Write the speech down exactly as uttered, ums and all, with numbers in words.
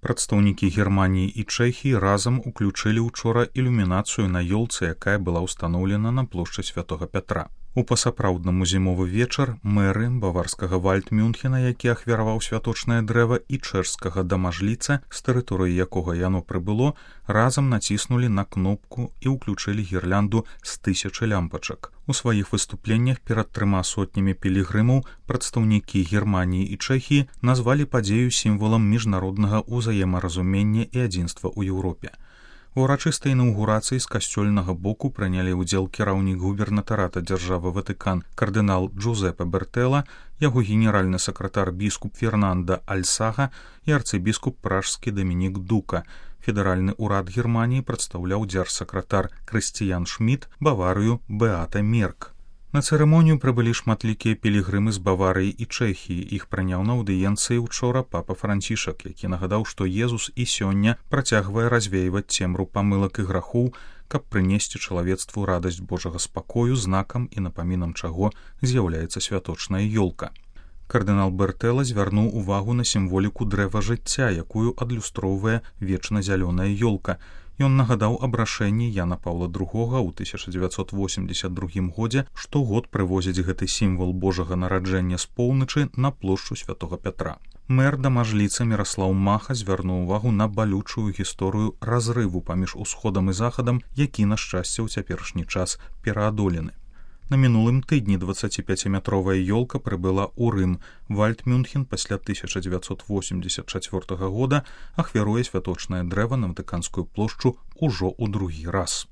Прадстаўнікі Германіі і Чэхіі разам уключылі ўчора ілюмінацыю на ёлцы, якая была ўстаноўлена на плошчы Святога Пятра. У пасапраўднаму зімовы вечар мэры баварскага Вальдмюнхена, які ахвяраваў святочнае дрэва, і чэшскага дамажліца, з тэрыторыі якога яно прыбыло, разам націснулі на кнопку і ўключылі гірлянду з тысячы лямпачак. У сваіх выступленнях перад трыма сотнямі пілігрымаў прадстаўнікі Германіі і Чэхіі назвалі падзею сімвалам міжнароднага ўзаемаразумення і адзінства ў Еўропе. У урачыстай інаўгурацыі з касцёльнага боку прынялі ўдзел кіраўнік губернатарата дзяржавы Ватыкан кардынал Джузепе Бертэла, яго генеральны сакратар біскуп Фернанда Альсага і арцыбіскуп пражскі Дамінік Дука. Федэральны ўрад Германіі прадстаўляў дзяржсакратар Крысціян Шмідт, Баварыю Беата Мерк. На цырымонію прыбылі шматлікія пілігрымы з Баварыі і Чэхіі. Іх прыняў на аўдыенцыі ўчора папа Францішак, які нагадаў, што Езус і сёння працягвае развейваць цемру памылак і грахоў, каб прынесці чалавецтву радасць Божага спакою, знакам і напамінам чаго з'яўляецца святочная ёлка. Кардынал Бертэла звярнуў увагу на сімволіку дрэва жыцця, якую адлюстроўвае вечна-зялёная ёлка. Ён нагадаў аб рашэнні Яна Паўла другога ў тысяча дзевяцьсот восемдзесят другім годзе штогод прывозіць гэты сімвал Божага нараджэння з поўначы на плошчу Святога Пятра. Мэр дамажліца Міраслаў Маха звярнуў увагу на балючую гісторыю разрыву паміж усходам і захадам, які, на шчасце, у цяперашні час пераадолены. На мінулым тыдні дваццаціпяціметровая ёлка прыбыла ў Рым. Вальдмюнхен пасля тысяча дзевяцьсот восемьдесят чацвёртага года ахвяруе святочнае дрэва на Ватыканскую плошчу ўжо ў другі раз.